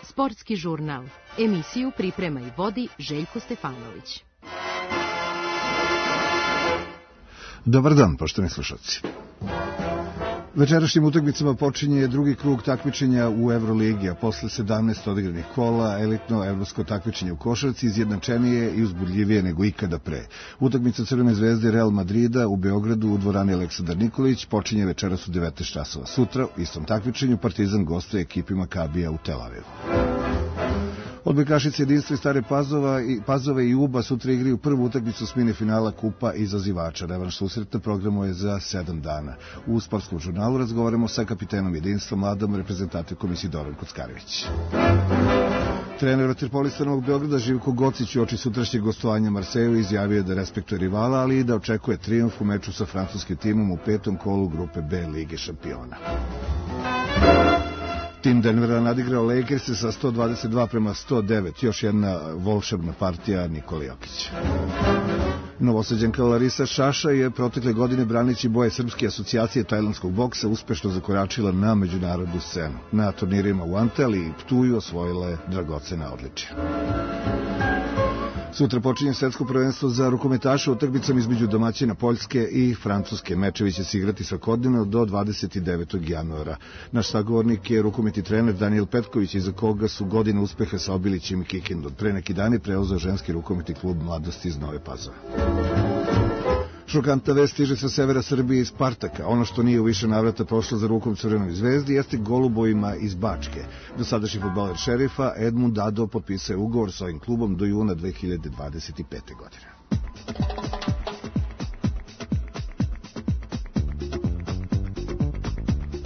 Sportski žurnal. Emisiju priprema i vodi Željko Stefanović. Dobar dan, poštovani slušalci. Večerašnjim utakmicama počinje drugi krug takmičenja u Evroligi, a posle 17 odigranih kola elitno evropsko takmičenje u košarci izjednačenije i uzbudljivije nego ikada pre. Utakmica Crvene zvezde Real Madrida u Beogradu u dvorani Aleksandar Nikolić počinje večeras u 19 časova. Sutra u istom takmičenju Partizan gostuje ekipi Makabija u Tel Avivu. Odbojkašice Jedinstva i Stare Pazove i UBA sutra igraju prvu utakmicu osmine finala Kupa izazivača. Revanš susreta programu je za 7 dana. U sportskom žurnalu razgovaramo sa kapitenom Jedinstva, mladom reprezentativkom Isidorom Kockarević. Trener vaterpolista Novog Beograda Živko Gocić uoči sutrašnjeg gostovanja Marseju izjavio da respektuje rivala, ali i da očekuje trijumf u meču sa francuskim timom u 5. kolu grupe B Lige šampiona. Tim Denvera nadigrao Lakers sa 122-109, još jedna volšebna partija Nikola Jokića. Novosađanka Larisa Šaša je protekle godine branići boje Srpske asocijacije tajlandskog boksa uspešno zakoračila na međunarodnu scenu. Na turnirima u Antali i Ptuju osvojile dragocena odličja. Sutra počinje svetsko prvenstvo za rukometaše utakmicom između domaćina Poljske i Francuske. Mečevi će se igrati svakodnevno do 29. januara. Naš sagovornik je rukometni trener Danijel Petković, iza koga su godine uspeha sa Obilićem i Kikindom. Pre neki dan je preuzeo ženski rukometni klub Mladosti iz Nove Pazove. Šokantna vest stiže sa severa Srbije iz Spartaka. Ono što nije u više navrata prošlo za rukom Crvenoj zvezdi jeste golubovima iz Bačke. Dosadašnji fudbaler Šerifa Edmund Dado potpisao je ugovor sa ovim klubom do juna 2025. godine.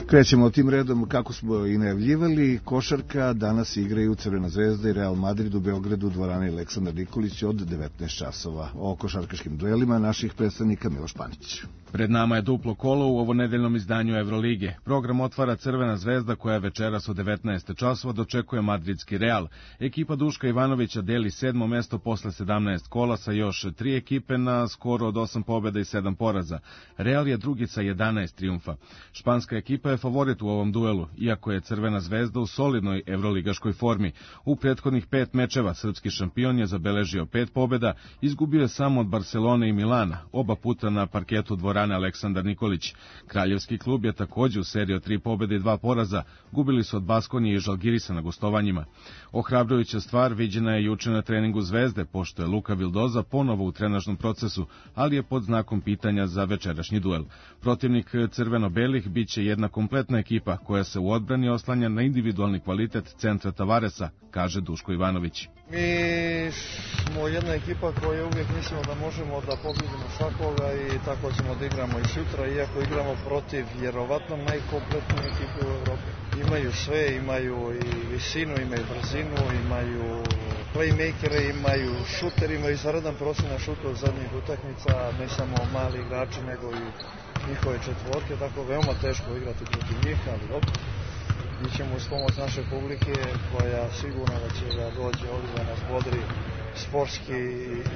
Krećemo tim redom kako smo i najavljivali. Košarka danas igraju Crvena zvezda i Real Madrid u Beogradu u dvorani Aleksandar Nikolić od 19 časova. O košarkaškim duelima naših predstavnika Miloš Panić. Pred nama je duplo kolo u ovonedeljnom izdanju Evrolige. Program otvara Crvena zvezda koja večeras u 19 časova dočekuje madridski Real. Ekipa Duška Ivanovića deli 7. mesto posle 17 kola sa još 3 ekipe na skoro od 8 pobjeda i 7 poraza. Real je drugi sa 11 trijumfa. Španska ekipa je favorit u ovom duelu, iako je Crvena zvezda u solidnoj evroligaškoj formi. U prethodnih 5 mečeva srpski šampion je zabeležio 5 pobjeda, izgubio je samo od Barcelone i Milana, oba puta na parketu dvorane Aleksandar Nikolić. Kraljevski klub je također u seriji od 3 pobjede i 2 poraza, gubili su od Baskonije i Žalgirisa na gostovanjima. Ohrabrujuća stvar viđena je juče na treningu Zvezde, pošto je Luka Vildoza ponovo u trenažnom procesu, ali je pod znakom pitanja za večerašnji duel. Protivnik crveno-belih biće jedna kompletna ekipa koja se u odbrani oslanja na individualni kvalitet centra Tavaresa, kaže Duško Ivanović. Mi smo jedna ekipa koja uvijek mislimo da možemo da pobjedimo svakoga i tako ćemo da igramo i sutra, iako igramo protiv vjerovatno najkompletnije ekipe u Evropi. Imaju sve, imaju i visinu, imaju brzinu, imaju playmakere, imaju šuter, imaju izvanredan prosjek na šutu od zadnjih utakmica, ne samo mali igrači nego i njihove četvorke, tako veoma teško igrati protiv njih, ali dobro. Mi ćemo uz pomoć naše publike koja sigurno da će da dođe ovdje da nas bodri sportski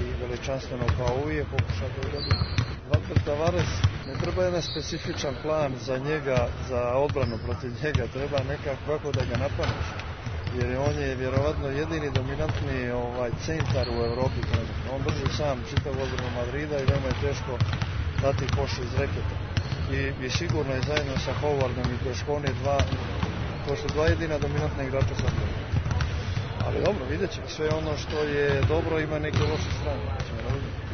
i veličanstveno kao uvijek pokušati da dobije. Walter Tavares, ne treba jedan specifičan plan za njega, za odbranu protiv njega, treba nekako da ga napadneš. Jer on je vjerovatno jedini dominantni centar u Evropi. On drži sam čitav odbranu Madrida i veoma je teško dati koš iz reketa. I sigurno je zajedno sa Howardom i Deškone to su dva jedina dominantna igrača sa mnom. Ali dobro, vidjet ćemo. Sve ono što je dobro ima neke loše strane.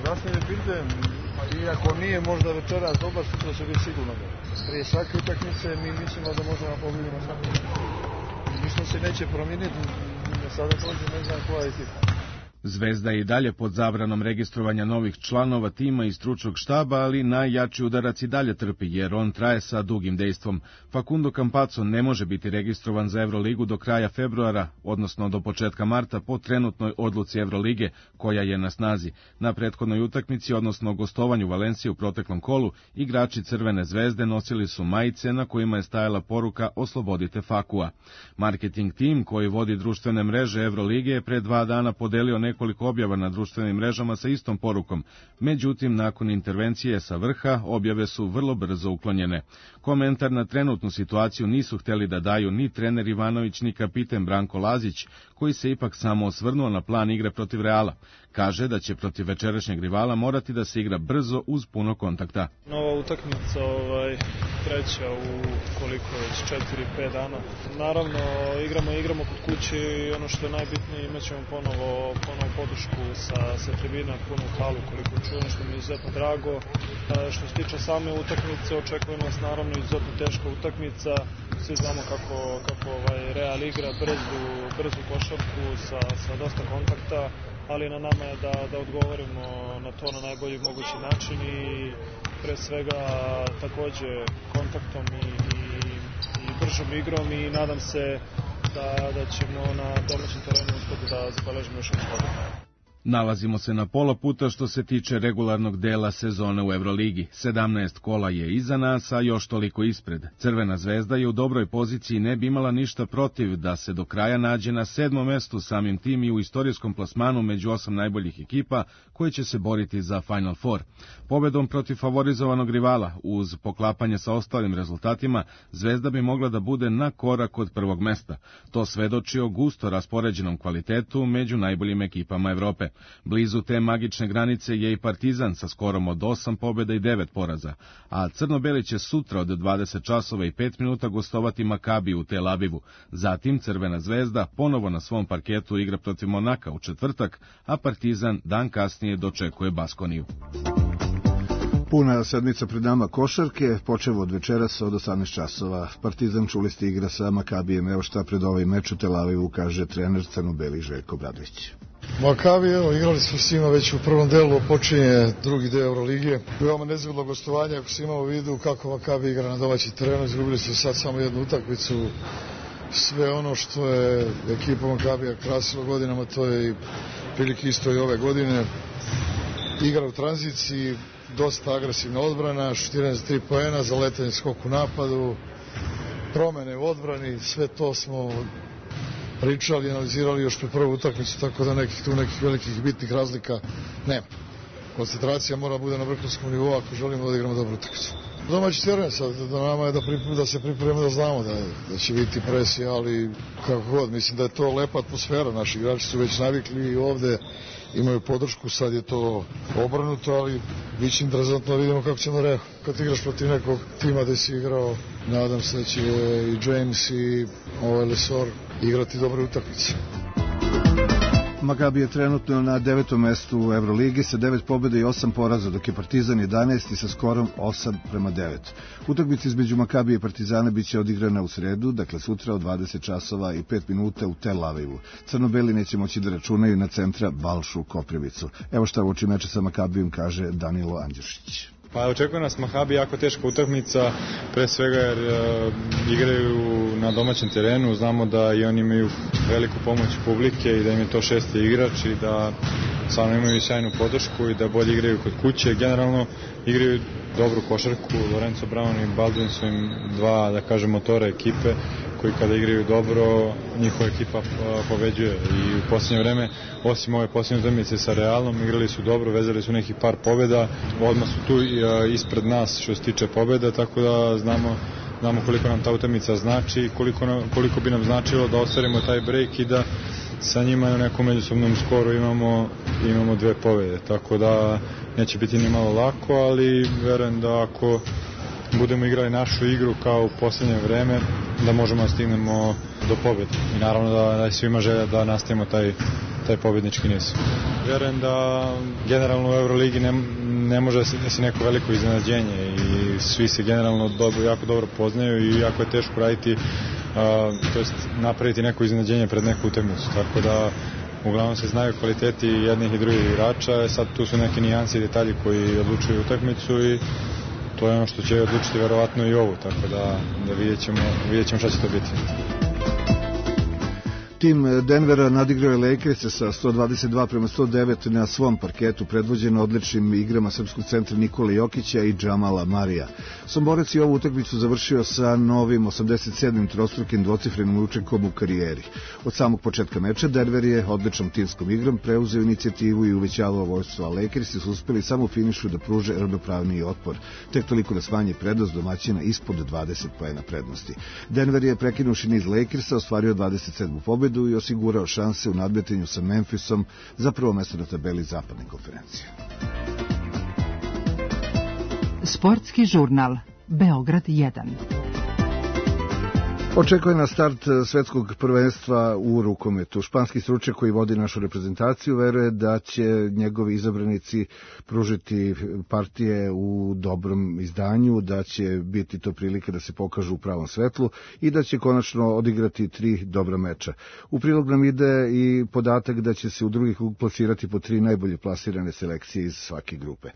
Zdravstvene bilde, iako nije možda večeras dobar, sutra će biti sigurno dobro. Prije svake utakmice mi mislimo da možemo pobjediti svakog. Ništa se neće promijeniti, sada prođe ne znam koja je ekipa. Zvezda je i dalje pod zabranom registrovanja novih članova tima i stručnog štaba, ali najjači udarac i dalje trpi, jer on traje sa dugim dejstvom. Facundo Campazzo ne može biti registrovan za Evroligu do kraja februara, odnosno do početka marta, po trenutnoj odluci Evrolige, koja je na snazi. Na prethodnoj utakmici, odnosno gostovanju Valencije u proteklom kolu, igrači Crvene zvezde nosili su majice na kojima je stajala poruka "Oslobodite Fakua". Marketing tim, koji vodi društvene mreže Evrolige, je pre 2 dana podelio nekoliko objava na društvenim mrežama sa istom porukom. Međutim, nakon intervencije sa vrha, objave su vrlo brzo uklonjene. Komentar na trenutnu situaciju nisu hteli da daju ni trener Ivanović, ni kapiten Branko Lazić, koji se ipak samo osvrnuo na plan igre protiv Reala. Kaže da će protiv večerašnjeg rivala morati da se igra brzo uz puno kontakta. Nova utakmica, treća u koliko već 4-5 dana. Naravno, igramo kod kuće i ono što je najbitnije, imat ćemo ponovo podršku sa tribina, punu halu koliko čujem, što mi je izuzetno drago. Što se tiče same utakmice, očekuje nas naravno izuzetno teška utakmica. Svi znamo kako Real igra, brzu košarku sa dosta kontakta, ali na nama je da odgovorimo na to na najbolji mogući način i pre svega takođe kontaktom i bržom igrom i nadam se da ćemo na domaćem terenu uspeti da zabeležimo još jedan pobedu. Nalazimo se na pola puta što se tiče regularnog dela sezone u Evroligi. 17 kola je iza nas, a još toliko ispred. Crvena zvezda je u dobroj poziciji i ne bi imala ništa protiv da se do kraja nađe na 7. mestu, samim tim i u istorijskom plasmanu među 8 najboljih ekipa koje će se boriti za Final Four. Pobedom protiv favorizovanog rivala, uz poklapanje sa ostalim rezultatima, Zvezda bi mogla da bude na korak od prvog mesta. To svedoči o gusto raspoređenom kvalitetu među najboljim ekipama Evrope. Blizu te magične granice je i Partizan sa skorom od 8 pobjeda i 9 poraza, a crno-beli će sutra od 20 časova i 5 minuta gostovati Makabi u Tel Avivu. Zatim Crvena zvezda ponovo na svom parketu igra protiv Monaka u četvrtak, a Partizan dan kasnije dočekuje Baskoniju. Puna sedmica pred nama košarke, počevo od večeras od 18 časova. Partizan, čuli ste, igra sa Makabijem. Evo šta pred ovaj meč u Tel Avivu kaže trener crno-beli Željko Obradović. Makabi, igrali smo s njima već u prvom delu, počinje drugi deo Euroligije. Veoma nezgodno gostovanje, ako se imao u vidu kako Makabi igra na domaći terenu, izgubili su sad samo jednu utakmicu. Sve ono što je ekipa Makabija krasilo godinama, to je prilike isto i ove godine. Igra u tranziciji, dosta agresivna odbrana, šutiranje za 3 poena, zaletanje skok u napadu, promene u odbrani, sve to smo pričali i analizirali još pred prvu utakmicu, tako da nekih velikih bitnih razlika nema. Koncentracija mora bude na vrhunskom nivou ako želimo da igramo dobru utakmicu. Domaći teren sad, da nama je da se pripremimo, da znamo da će biti presija, ali kako god, mislim da je to lepa atmosfera, naši igrači su već navikli i ovde imaju podršku, sad je to obrnuto, ali bit će interesantno da vidimo kako ćemo reagovati. Kad igraš protiv nekog tima da si igrao, nadam se da će i James i Lesor igrati dobre utakmice. Makabi je trenutno na 9. mestu u Evroligi sa 9 pobjeda i 8 poraza, dok je Partizan 11. sa skorom 8-9. Utakmica između Makabija i Partizana biće odigrana u sredu, dakle sutra od 20 časova i 5 minuta u Tel Avivu. Crno-beli neće moći da računaju na centra Balšu Koprivicu. Evo šta uoči meča sa Makabijem kaže Danilo Andjušić. Pa očekuje nas Makabi jako teška utakmica, pre svega jer igraju na domaćem terenu, znamo da i oni imaju veliku pomoć publike i da im je to 6. igrač i da stvarno imaju sjajnu podršku i da bolje igraju kod kuće. Generalno igraju dobru košarku, Lorenzo Brown i Baldwin su im dva, da kažem, motora ekipe koji kada igraju dobro, njihova ekipa pobeđuje i u posljednje vreme, osim ove posljednje utakmice sa Realom, igrali su dobro, vezali su nekih par pobjeda, odmah su tu ispred nas što se tiče pobjeda, tako da znamo koliko nam ta utakmica znači i koliko bi nam značilo da ostvarimo taj break i da sa njima u nekom međusobnom skoru imamo 2 pobjede, tako da neće biti ni malo lako, ali verujem da ako budemo igrali našu igru kao u posljednje vreme, da možemo da stignemo do pobjede. I naravno da je svima želja da nastavimo taj pobjednički niz. Verujem da generalno u Euroligi ne može da se neko veliko iznenađenje i svi se generalno jako dobro poznaju i jako je teško raditi, to jest napraviti neko iznenađenje pred neku utakmicu. Tako da uglavnom se znaju kvaliteti jednih i drugih igrača, sad tu su neki nijansi i detalji koji odlučuju utakmicu i to je ono što će odlučiti verovatno i ovu, tako da vidjet ćemo šta će to biti. Tim Denvera nadigrao je Lakerse sa 122-109 na svom parketu, predvođeno odličnim igrama srpskog centra Nikole Jokića i Džamala Marija. Somborec je ovu utakmicu završio sa novim 87. trostrukim dvocifrenim učinkom u karijeri. Od samog početka meča Denver je odličnom timskom igrom preuzeo inicijativu i uvećavao vođstvo, a Lakersi su uspeli samo u finišu da pruže ravnopravniji otpor, tek toliko da smanje prednost domaćina ispod 20 poena prednosti. Denver je prekinuši niz Lakersa ostvario 27. pobedu i osigurao šanse u nadmetanju sa Memphisom za prvo mesto na tabeli zapadne konferencije. Sportski žurnal Beograd 1. Očekuje na start svetskog prvenstva u rukometu. Španski stručnjak koji vodi našu reprezentaciju veruje da će njegovi izabranici pružiti partije u dobrom izdanju, da će biti to prilika da se pokažu u pravom svetlu i da će konačno odigrati 3 dobra meča. U prilog nam ide i podatak da će se u drugi krug plasirati po 3 najbolje plasirane selekcije iz svake grupe.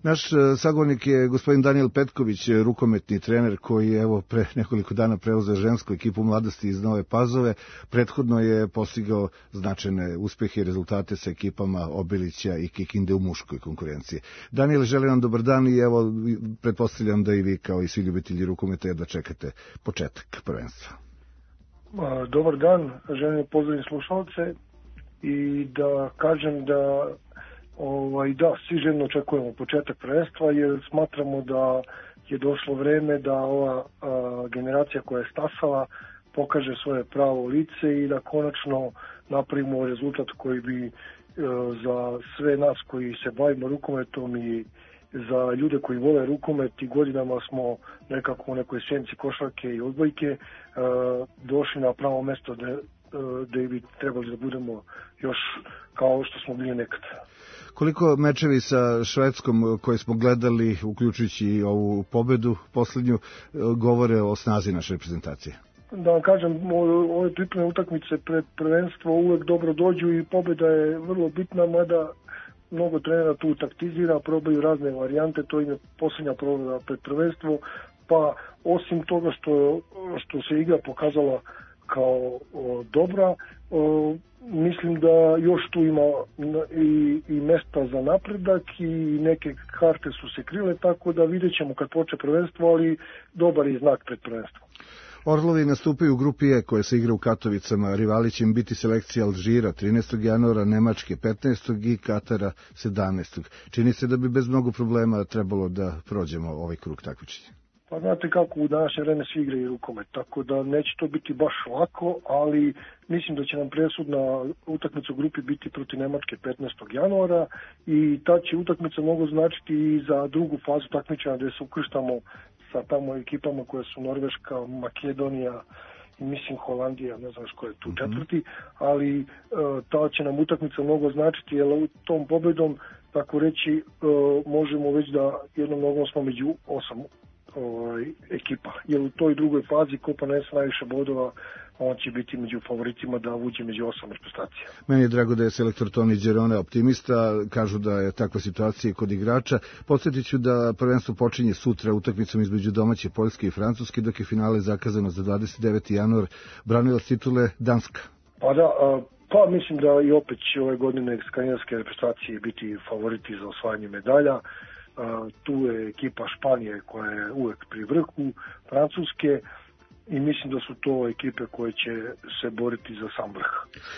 Naš sagovornik je gospodin Danijel Petković, rukometni trener koji je pre nekoliko dana preuzeo žensku ekipu mladosti iz Nove Pazove. Prethodno je postigao značajne uspehe i rezultate sa ekipama Obilića i Kikinde u muškoj konkurenciji. Danijel, želim vam dobar dan i pretpostavljam da i vi kao i svi ljubitelji rukometa jedva čekate početak prvenstva. Dobar dan, želim pozdraviti slušalce i da kažem da svi željno očekujemo početak prvenstva jer smatramo da je došlo vreme da ova generacija koja je stasala pokaže svoje pravo lice i da konačno napravimo rezultat koji bi za sve nas koji se bavimo rukometom i za ljude koji vole rukomet i godinama smo nekako u nekoj senci košarke i odbojke došli na pravo mesto gde bi trebali da budemo još kao što smo bili nekad. Koliko mečevi sa Švedskom koje smo gledali, uključujući i ovu pobedu poslednju, govore o snazi naše reprezentacije? Da vam kažem, ove pripremne utakmice pred prvenstvo uvek dobro dođu i pobeda je vrlo bitna, mada mnogo trenera tu taktizira, probaju razne varijante, to im je posljednja pobeda pred prvenstvo, pa osim toga što se igra pokazala kao dobra, mislim da još tu ima i mesta za napredak i neke karte su se krile, tako da vidjet ćemo kad počne prvenstvo, ali dobar je znak pred prvenstvo. Orlovi nastupaju u grupi E koja se igra u Katovicama. Rivali će im biti selekcija Alžira 13. januara, Nemačke 15. i Katara 17. Čini se da bi bez mnogo problema trebalo da prođemo ovaj krug takmičenja. Pa znate kako u današnje vreme svi igraju rukomet, tako da neće to biti baš lako, ali mislim da će nam presudna utakmica u grupi biti protiv Nemačke 15. januara i ta će utakmica mnogo značiti i za drugu fazu takmičenja gde se ukrštamo sa tamo ekipama koje su Norveška, Makedonija i mislim Holandija, ne znam ko je tu četvrti, ali ta će nam utakmica mnogo značiti jer u tom pobedom, tako reći, možemo već da jednom nogom smo među 8 ekipa, jer u toj drugoj fazi ko ponese najviše bodova on će biti među favoritima da uđe među 8 reprezentacija. Meni je drago da je selektor Toni Đerone optimista, kažu da je takva situacija i kod igrača. Podsjetit ću da prvenstvo počinje sutra utakmicom između domaće Poljske i Francuske, dok je finale zakazano za 29. januar. Branilac titule Danska. Pa da, pa mislim da i opet će ove godine skandinavske reprezentacije biti favoriti za osvajanje medalja. Tu je ekipa Španije koja je uvek pri vrhu, Francuske i mislim da su to ekipe koje će se boriti za sam vrh.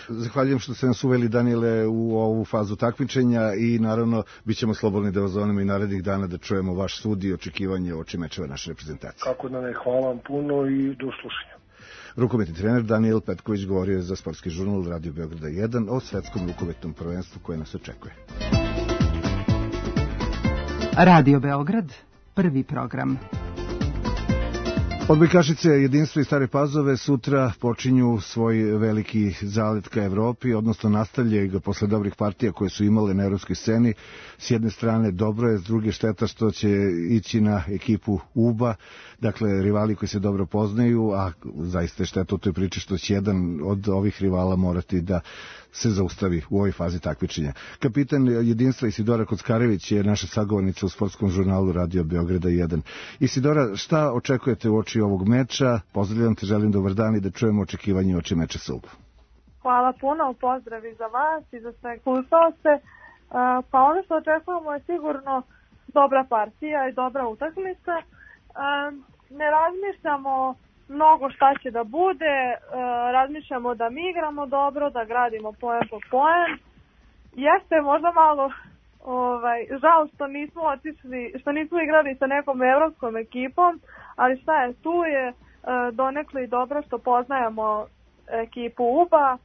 Zahvaljujem što ste nas uveli, Danijele, u ovu fazu takmičenja i naravno bit ćemo slobodni da vas zovemo i narednih dana da čujemo vaš sud i očekivanje oči mečeva naše reprezentacije. Kako da ne, hvala vam puno i do slušanja. Rukometni trener Danijel Petković govorio je za Sportski žurnal Radio Beograda 1 o svetskom rukometnom prvenstvu koje nas očekuje. Radio Beograd, prvi program. Odbojkašice Jedinstva i Stare Pazove sutra počinju svoj veliki zalet ka Evropi, odnosno nastavljaju ga posle dobrih partija koje su imale na evropskoj sceni. S jedne strane dobro je, s druge šteta što će ići na ekipu UBA, dakle rivali koji se dobro poznaju, a zaista je šteta u toj priči što će jedan od ovih rivala morati da se zaustavi u ovoj fazi takmičenja. Kapitan Jedinstva Isidora Kockarević je naša sagovornica u sportskom žurnalu Radio Beograda 1. Isidora, šta očekujete u oči ovog meča? Pozdravljam te, želim dobar dan i da čujemo očekivanje oči meča sa UBA. Hvala puno, pozdrav i za vas i za sve slušalce. Pa ono što očekujemo je sigurno dobra partija i dobra utakmica. Ne razmišljamo mnogo šta će da bude, razmišljamo da mi igramo dobro, da gradimo poen po poen. Jeste možda malo žao što nismo otišli, što nismo igrali sa nekom evropskom ekipom, ali šta je, tu je donekle i dobro što poznajemo ekipu UBA.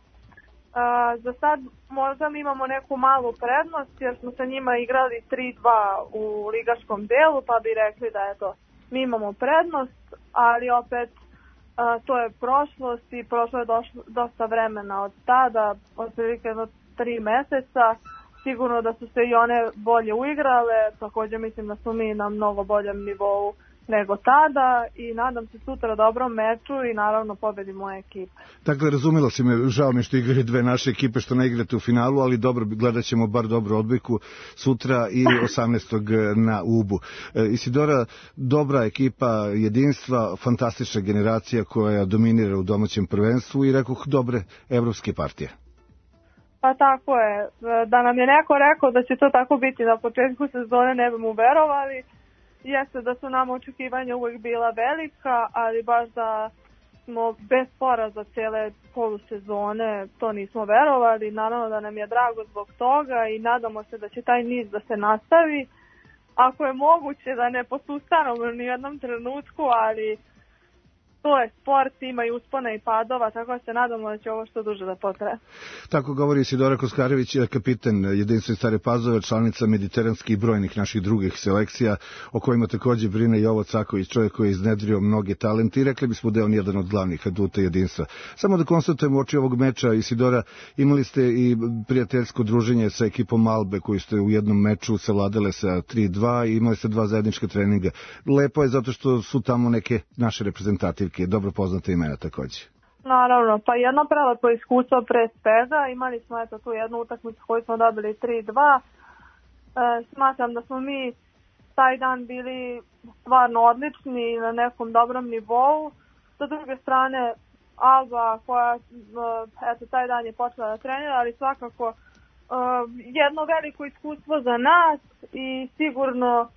Za sad možda mi imamo neku malu prednost jer smo sa njima igrali 3-2 u ligaškom delu, pa bi rekli da eto, mi imamo prednost, ali opet to je prošlost i prošlo je dosta vremena od tada, otprilike 3 meseca. Sigurno da su se i one bolje uigrale, također mislim da su mi na mnogo boljem nivou nego tada i nadam se sutra dobrom meču i naravno pobedi moje ekipe. Dakle, razumela si me, žao mi što igraju dve naše ekipe, što ne igrate u finalu, ali dobro, gledat ćemo bar dobru odbojku sutra i 18. na Ubu. Isidora, dobra ekipa jedinstva, fantastična generacija koja dominira u domaćem prvenstvu i rekoh dobre evropske partije. Pa tako je, da nam je neko rekao da će to tako biti na početku sezone ne bi mu verovali. Jeste da su nam očekivanja uvijek bila velika, ali baš da smo bez poraza cijele polusezone to nismo verovali. Naravno da nam je drago zbog toga i nadamo se da će taj niz da se nastavi. Ako je moguće da ne posustanemo ni u jednom trenutku, ali to je sport, ima i uspona i padova, tako da se nadamo da će ovo što duže da potraje. Tako govori Isidora Koskarević, kapiten jedinstva Stare Pazove, članica mediteranskih i brojnih naših drugih selekcija, o kojima također brine Jovo Caković, čovjek koji je iznedrio mnoge talente i rekli bismo da je on jedan od glavnih aduta jedinstva. Samo da konstatujemo oči ovog meča, Isidora, imali ste i prijateljsko druženje sa ekipom Albe, koju ste u jednom meču savladale sa 3-2 i imali ste 2 zajednička treninga. Lepo je zato što su tamo neke naše reprezentativke, dobro poznate imena također. Naravno, pa jedno prelepo iskustvo pre svega, imali smo eto tu jednu utakmicu koju smo dobili 3-2, smatram da smo mi taj dan bili stvarno odlični na nekom dobrom nivou, sa druge strane Alba koja eto taj dan je počela da trenira, ali svakako jedno veliko iskustvo za nas i sigurno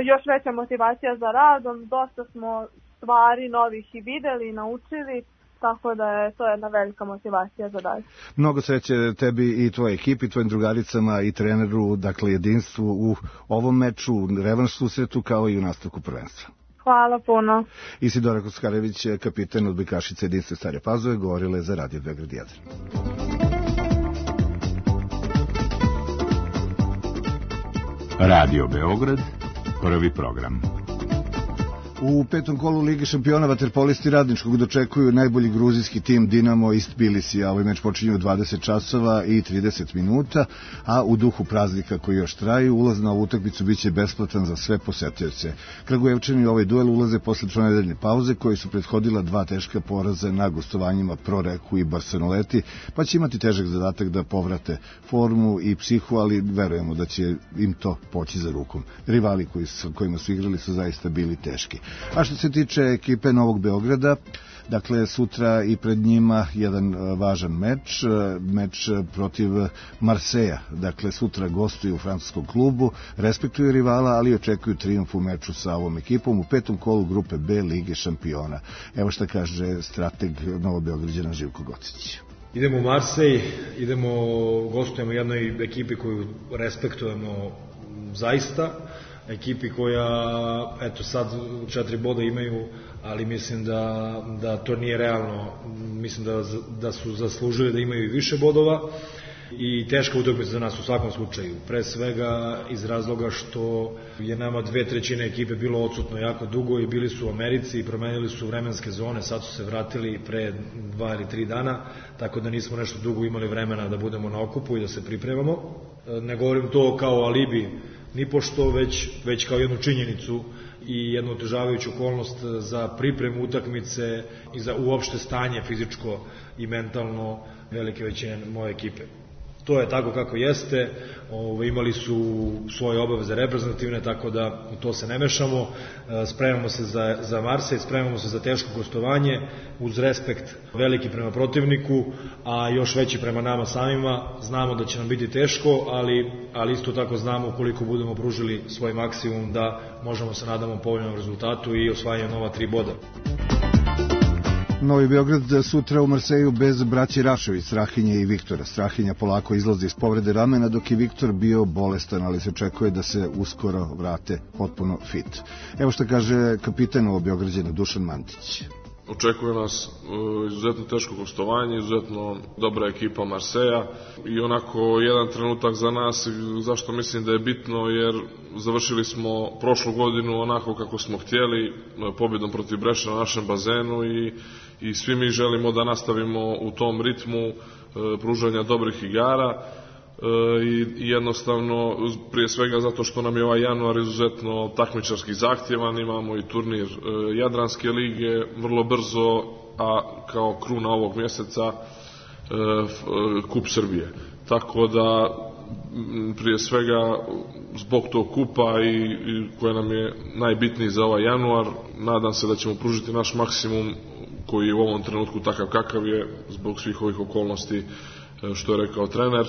još veća motivacija za radom, dosta smo stvari novih i videli i naučili, tako da je to jedna velika motivacija za dalje. Mnogo sreće tebi i tvoje ekipi, tvojim drugaricama i treneru, dakle jedinstvu u ovom meču, revanš susretu kao i u nastavku prvenstva. Hvala puno. Isidora Koskarević, kapiten odbojkašice jedinstva Stare Pazove, govorile za Radio Beograd 1. Radio Beograd, prvi program. U petom kolu Lige šampiona vaterpolisti Radničkog dočekuju najbolji gruzijski tim Dinamo iz Tbilisija. Ovaj meč počinje u 20 časova i 30 minuta, a u duhu praznika koji još traju, ulaz na ovu utakmicu biće besplatan za sve posetioce. Kragujevčani u ovaj duel ulaze posle tronedeljne pauze koji su prethodila 2 teška poraza na gostovanjima Proreku i Barceloneti, pa će imati težak zadatak da povrate formu i psihu, ali verujemo da će im to poći za rukom. Rivali kojima su igrali su zaista bili teški. A što se tiče ekipe Novog Beograda, dakle sutra i pred njima jedan važan meč protiv Marseja. Dakle sutra gostuju u francuskom klubu, respektuju rivala, ali očekuju trijumf u meču sa ovom ekipom u petom kolu grupe B Lige šampiona. Evo šta kaže strateg Novobeograđana Živko Gocić. Idemo u Marsej, gostujemo jednoj ekipi koju respektujemo zaista, ekipi koja, eto sad 4 boda imaju, ali mislim da to nije realno, mislim da su zaslužili da imaju više bodova i teška utakmica za nas u svakom slučaju. Pre svega iz razloga što je nama 2/3 ekipe bilo odsutno jako dugo i bili su u Americi i promenili su vremenske zone, sad su se vratili pre 2 ili 3 dana, tako da nismo nešto dugo imali vremena da budemo na okupu i da se pripremamo. Ne govorim to kao alibi, nipošto, već kao jednu činjenicu i jednu otežavajuću okolnost za pripremu utakmice i za uopšte stanje fizičko i mentalno velike većine moje ekipe. to je tako kako jeste, imali su svoje obaveze reprezentativne, tako da u to se ne mešamo, spremamo se za Marsej, spremamo se za teško gostovanje, uz respekt veliki prema protivniku, a još veći prema nama samima. Znamo da će nam biti teško, ali isto tako znamo koliko budemo pružili svoj maksimum da možemo se nadamo povoljnom rezultatu i osvajanju nova 3 boda. Novi Beograd sutra u Marseju bez braći Rašević, Strahinje i Viktora. Strahinja polako izlazi iz povrede ramena, dok je Viktor bio bolestan, ali se očekuje da se uskoro vrate potpuno fit. Evo što kaže kapitan Beograđana Dušan Mantić. Očekuje nas izuzetno teško gostovanje, izuzetno dobra ekipa Marseja i onako jedan trenutak za nas, zašto mislim da je bitno, jer završili smo prošlu godinu onako kako smo htjeli, pobjedom protiv Breša na našem bazenu i svi mi želimo da nastavimo u tom ritmu pružanja dobrih igara i jednostavno prije svega zato što nam je ovaj januar izuzetno takmičarski zahtjevan, imamo i turnir Jadranske lige vrlo brzo, a kao kruna ovog mjeseca Kup Srbije. Tako da prije svega zbog tog kupa i koje nam je najbitniji za ovaj januar, nadam se da ćemo pružiti naš maksimum koji je u ovom trenutku takav kakav je zbog svih ovih okolnosti što je rekao trener,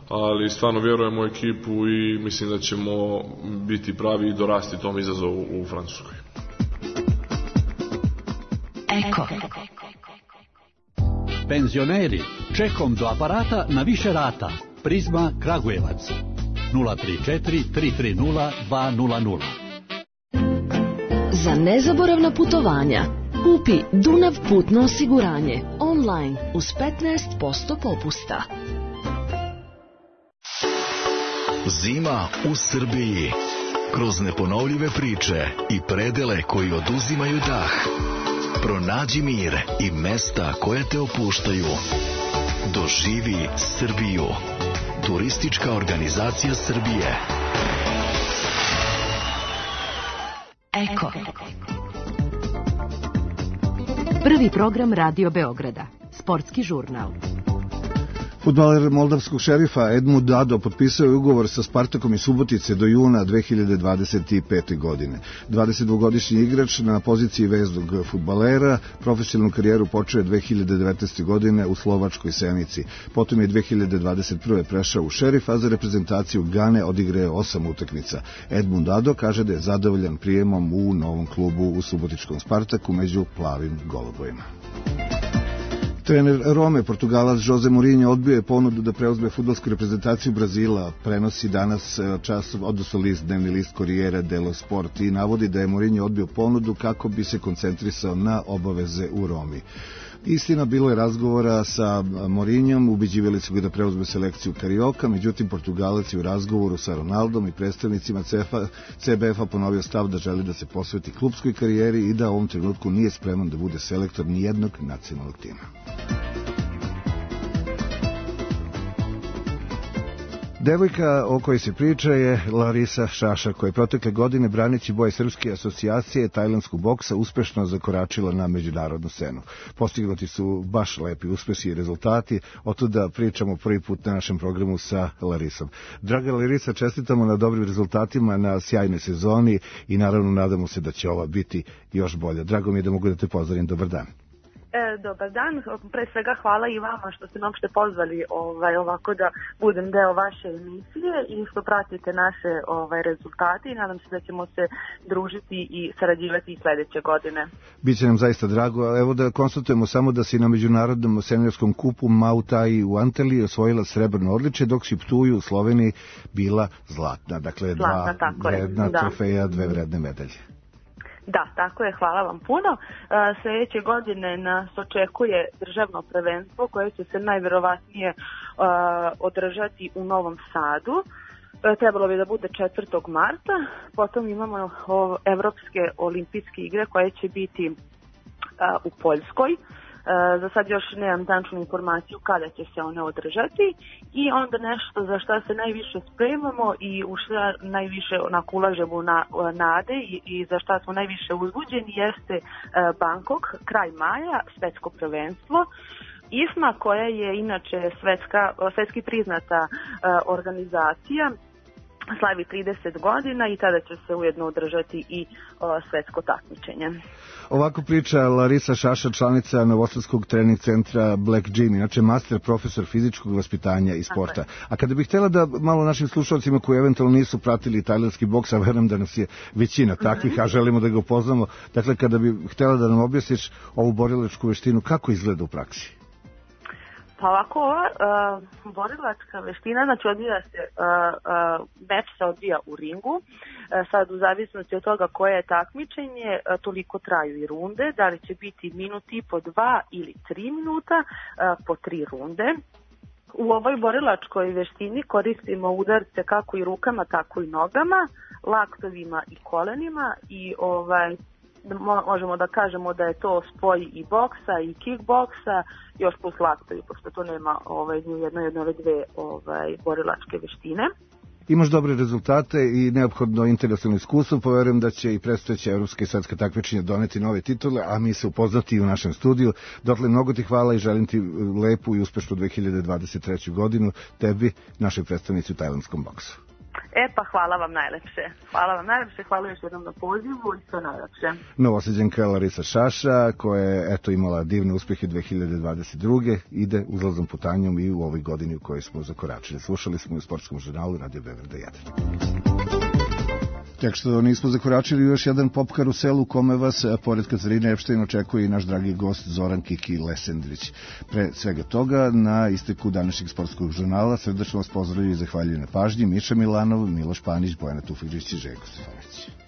ali stvarno vjerujemo u ekipu i mislim da ćemo biti pravi i dorasti tom izazovu u Francuskoj. Eko. Penzioneri, čekom do aparata na više rata. Prizma Kragujevac 034 330 200. Za nezaboravna putovanja kupi Dunav putno osiguranje online uz 15% popusta. Zima u Srbiji. Kroz neponovljive priče i predele koji oduzimaju dah. Pronađi mir i mesta koja te opuštaju. Doživi Srbiju. Turistička organizacija Srbije. Eko. Prvi program Radio Beograda. Sportski žurnal. Fudbaler moldavskog Šerifa Edmund Dado potpisao je ugovor sa Spartakom iz Subotice do juna 2025. godine. 22-godišnji igrač na poziciji veznog fudbalera profesionalnu karijeru počeo je 2019. godine u slovačkoj Senici. Potom je 2021. prešao u Šerif, a za reprezentaciju Gane odigrao 8 utakmica. Edmund Dado kaže da je zadovoljan prijemom u novom klubu u subotičkom Spartaku među plavim golubovima. Trener Rome, Portugalac Jose Mourinho odbio je ponudu da preuzme fudbalsku reprezentaciju Brazila, prenosi danas odnosno dnevni list Corriere dello Sport i navodi da je Mourinho odbio ponudu kako bi se koncentrisao na obaveze u Romi. Istina, bilo je razgovora sa Mourinhom, ubeđivali su ga da preuzme selekciju Carioca, međutim Portugalac je u razgovoru sa Ronaldom i predstavnicima CBF-a ponovio stav da želi da se posveti klupskoj karijeri i da u ovom trenutku nije spreman da bude selektor nijednog nacionalnog tima. Devojka o kojoj se priča je Larisa Šaša, koja je protekle godine braneći boje Srpske asocijacije tajlandskog boksa uspešno zakoračila na međunarodnu scenu. Postignuti su baš lepi uspesi i rezultati, otuda pričamo prvi put na našem programu sa Larisom. Draga Larisa, čestitamo na dobrim rezultatima, na sjajnoj sezoni i naravno nadamo se da će ova biti još bolja. Drago mi je da mogu da te pozdravim, dobar dan. Dobar dan, pre svega hvala i vama što ste me uopšte pozvali ovako da budem deo vaše emisije i što pratite naše rezultate i nadam se da ćemo se družiti i sarađivati i sledeće godine. Biće nam zaista drago. Evo da konstatujemo samo da si na međunarodnom seniorskom kupu Mautai u Antaliji osvojila srebrno odličje, dok si u Ptuju u Sloveniji bila zlatna. Dakle, dva vredna trofeja, dve vredne medalje. Da, tako je, hvala vam puno. Sljedeće godine nas očekuje državno prvenstvo koje će se najverovatnije održati u Novom Sadu. Trebalo bi da bude 4. marta. Potom imamo Evropske olimpijske igre koje će biti u Poljskoj. Za sad još nemam tačnu informaciju kada će se one održati i onda nešto za šta se najviše spremamo i u šta najviše ulažemo na nade i za šta smo najviše uzbuđeni jeste Bangkok, kraj maja, svetsko prvenstvo. IFMA, koja je inače svetski priznata organizacija, slavi 30 godina i tada će se ujedno održati i svetsko takmičenje. Ovako priča Larisa Šaša, članica novosadskog trening centra Black Gym, inače master profesor fizičkog vaspitanja i sporta. A kada bih htjela da malo našim slušalcima koji eventualno nisu pratili tajlandski boks, a verujem da nas je većina takvih, a želimo da ga upoznamo, dakle kada bih htjela da nam objasniš ovu borilačku veštinu, kako izgleda u praksi? Pa ovako, ova borilačka veština, znači meč se odvija u ringu, sad u zavisnosti od toga koje je takmičenje, toliko traju i runde, da li će biti minut i po 2 ili 3 minuta po 3 runde. U ovoj borilačkoj veštini koristimo udarce kako i rukama, tako i nogama, laktovima i kolenima i možemo da kažemo da je to spoj i boksa i kickboksa, još plus laktovi, pošto to nema ni u jednoj od ove dve borilačke veštine. Imaš dobre rezultate i neophodno interesalno iskustvo, poverujem da će i predstojeća evropska i svetska takmičenja doneti nove titule, a mi se upoznati i u našem studiju. Dotle mnogo ti hvala i želim ti lepu i uspešnu 2023. godinu, tebi, našoj predstavnici u tajlandskom boksu. Pa hvala vam najlepše. Hvala još jednom na pozivu i sve najlepše. Novosađanka Larisa Šaša, koja je imala divne uspehe 2022. ide uzlaznom putanjom i u ovoj godini u kojoj smo zakoračili. Slušali smo u sportskom žurnalu Radio Beograda 1. Tek što nismo zakoračili još jedan pop karusel u kome vas, pored Katarine Epštajn, očekuje i naš dragi gost Zoran Kiki Lesendrić. Pre svega toga, na isteku današnjeg sportskog žurnala srdačno vas pozdravljaju i zahvaljuju na pažnji Miša Milanov, Miloš Panić, Bojana Tufekđić i Željko Stefanović.